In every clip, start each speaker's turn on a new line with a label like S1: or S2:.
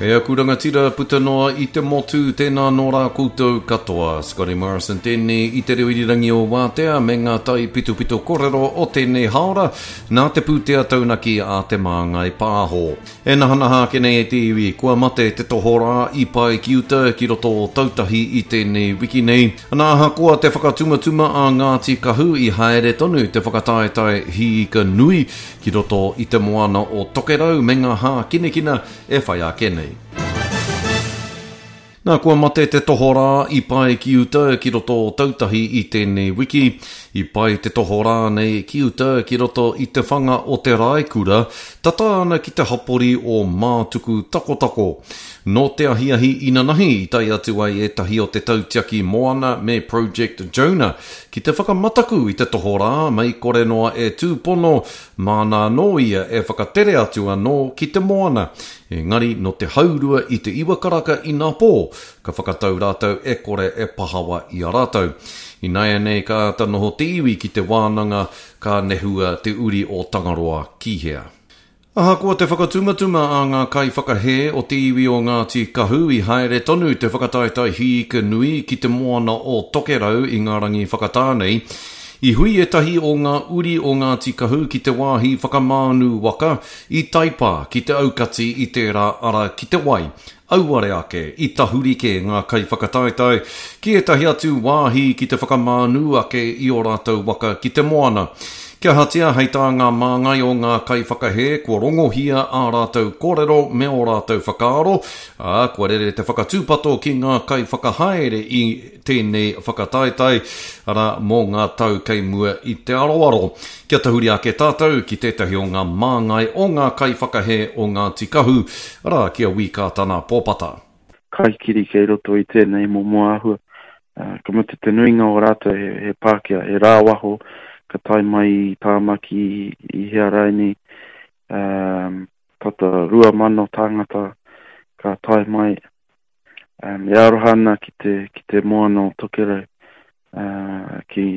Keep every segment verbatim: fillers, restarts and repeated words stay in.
S1: E aku rangatira puta noa i te motu, tēnā nō rā koutou katoa. Scotty Morrison tēnei i te reo irirangi o Wātea me ngā tai pitopito korero o tēnei haora nā te pūtea taunaki a Te Māngai Pāho. E nahanaha ake nei e te iwi, kua mate te tohorā i pae ki uta ki roto o Tautahi i tēnei wiki nei. Nā ahakoa te whakatumatuma a Ngāti Kahu i haere tonu te whakataetae hiika nui ki roto i te moana o Tokerau me ngā hākinakina e whai ake nei. Nā, kua mate te tohorā i pae ki uta ki roto o Tautahi i tēnei wiki. I pae te tohorā nei ki uta ki roto i te whanga o Te Raekura, tata ana ki te hapori o Mātuku Takotako. Nō te ahiahi inanahi i tae atu ai ētahi o te tautiaki moana me Project Jonah ki te whakamataku i te tohorā mei kore noa e tūpono, māna anō ia e whakatere atu anō ki te moana. Engari nō te haurua i te iwa karaka inapō, ka whakatau rātou e kore e pahawa i a rātou. Ināianei ka āta noho te iwi ki te wānanga ka nehua te uri o Tangaroa ki hea. Ahakoa te whakatumatuma a ngā kaiwhakahē o te iwi o Ngāti Kahu i haere tonu te whakataetae hiika nui ki te moana o Tokerau i ngā rangi whakatā nei, i hui ētahi o ngā uri o Ngāti Kahu ki te wāhi whakamānu waka i Taipā ki te aukati i tērā ara ki te wai. Auare ake, i tahuri kē ngā kaiwhakataetae ki ētahi atu wāhi ki te whakamānu ake i ō rātou waka ki te moana. Kia ahatia hei tā ngā māngai o ngā kaiwhakahē kua rongohia ā rātou kōrero me ō rātou whakaaro, ā, kua rere te whakatūpato ki ngā kaiwhakahaere i tēnei whakataetae, arā, mō ngā tau kei mua i te aroaro. Kia tahuri ake tātou ki tētahi o ngā māngai o ngā kaiwhakahē o Ngāti Kahu, arā, ki a Wī Kātana Pōpata.
S2: Kaikiri kei roto i tēnei momo āhua. Uh, ka mutu te nuinga o rātou he, he Pākehā, he rāwaho, ka tae mai i Tāmaki, i hea raini, um, tata rua mano tāngata ka tae mai. Um, e aroha ana ki te, ki te moana o Tokerau, uh, ki,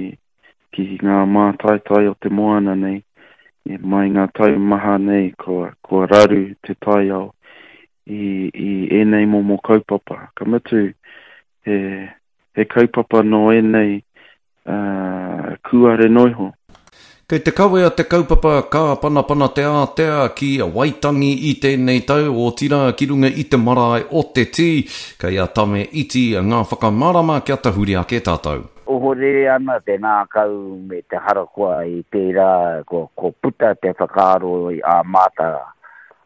S2: ki ngā mātaitai o te moana nei, e mai ngā tau maha nei kua, kua raru te taiao i, i ēnei momo kaupapa. Ka mutu, he, he kaupapa nō ēnei uh, kūare noiho.
S1: Kei te kawea te kaupapa Kāpanapana te Ātea ki Waitangi i tēnei tau, otirā ki runga i te marae o Te Tī. Kei a Tame Iti ngā whakamārama kia tahuri ake tātou.
S3: Ohorere ana te ngākau me te harakoa i tērā kua, kua puta te whakaaro i a māta,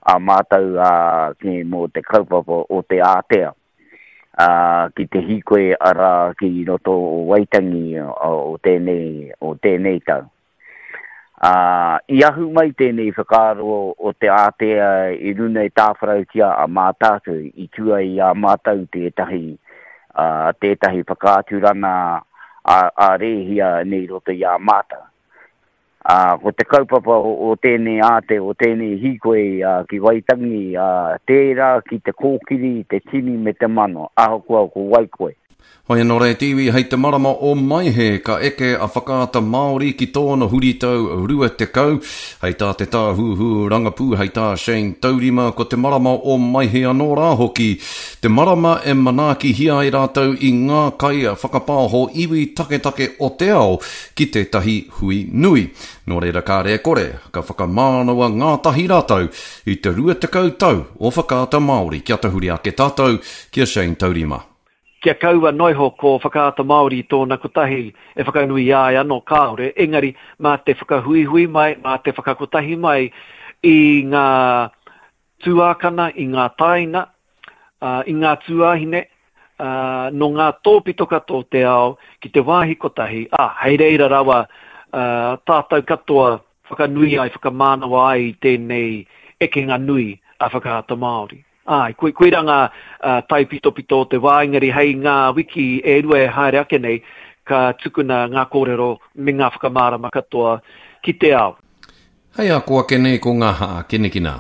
S3: a mātou a, ki, mō te kaupapa o te ātea. Ā, ki te hīkoi arā ki roto o Waitangi o tēnei, o tēnei tau. Ā, i ahu mai tēnei whakaaro o te ātea i runa i tāwharautia a Mātaatua i tua i a mātou tētahi, ā, tētahi whakaaturanga a, a rēhia nei roto i a mātou. Ā, ko te kaupapa o, o tēnei āte, o tēnei hīkoi ā, ki Waitangi, ā, tērā ki te kōkiri, te tini me te mano, ahakoa ko wai koe.
S1: Hoi anō rā e te iwi, hei te marama o Maehe ka eke a Whakaata Māori ki tōna huritau rua tekau. Hei tā te Tāhuhu Rangapū, hei tā Shane Taurima, ko te marama o Maehe anō rā hoki te marama e manaakihia ai rātou i ngā kai whakapāho iwi taketake o te ao ki tētahi hui nui. Nō reira kāre e kore, ka whakamānawa ngātahi rātou i te rua tekau tau o Whakaata Māori. Kia tahuri ake tātou ki a Shane Taurima.
S4: Kia kaua noiho ko Whakaata Māori tōna kotahi e whakanui ai anō kāore, engari mā te whakahuihui mai, mā te whakakotahi mai i ngā tuākana, i ngā tāina, i ngā tuāhine, nō ngā tōpito katoa o te ao ki te wāhi kotahi, ā, hei reira rawa tātou katoa whakanui ai, whakamānawa ai i tēnei ekenga nui a Whakaata Māori. Āe, koe, koirā ngā uh, taipitopito o te wā, engari hei ngā wiki e rua e haere ake nei, ka tukuna ngā kōrero me ngā whakamārama katoa ki te ao.
S1: Hei ako ake nei ko ngā hākinakina.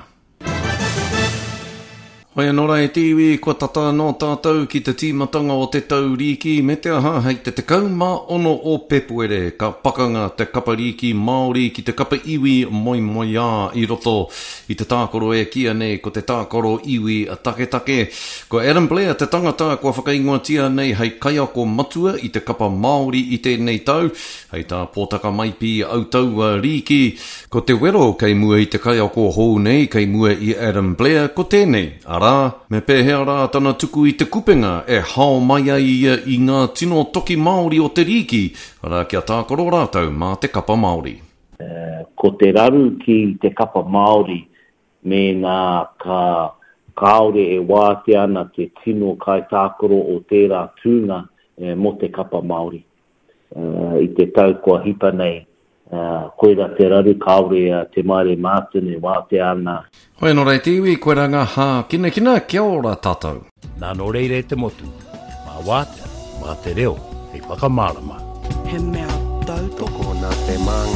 S1: Hoi anō rā e te iwi, kua tata anō tātou ki te tīmatanga o te tau rīki, me te aha hei te tekau mā ono o Pepuere ka pakanga te kapa rīki Māori ki te kapa iwi moemoeā i roto i te tākaro e kīia nei ko te tākaro iwi taketake. Ko Adam Blair te tangata kua whakaingoatia nei hei kaiako matua i te kapa Māori i tēnei tau, hei tā Pōtaka Maipi Autaua Rīki. Ko te wero kei mua i te kaiako hou nei, kei mua i Adam Blair, ko tēnei, arā, me pēhea rā tana tuku i te kupenga e hao mai ai ia i ngā tino toki Māori o te rīki, arā, kia tākaro rātou mā te kapa Māori.
S5: Ko te raru ki te kapa Māori mēnā ka kāore e wātea ana te tino kaitākaro o tērā tūnga mō te kapa Māori. I te tau kua hipa nei, koira te raru kāore a Te Maire Martin e wātea ana.
S1: Hoi anō rā e te iwi, koirā ngā hākinakina, kia ora tātou.
S6: Nā nō reira e te motu, mā wātea, mā te reo, hei whakamārama.
S7: He mea tautoko.
S8: Tokona te māngai.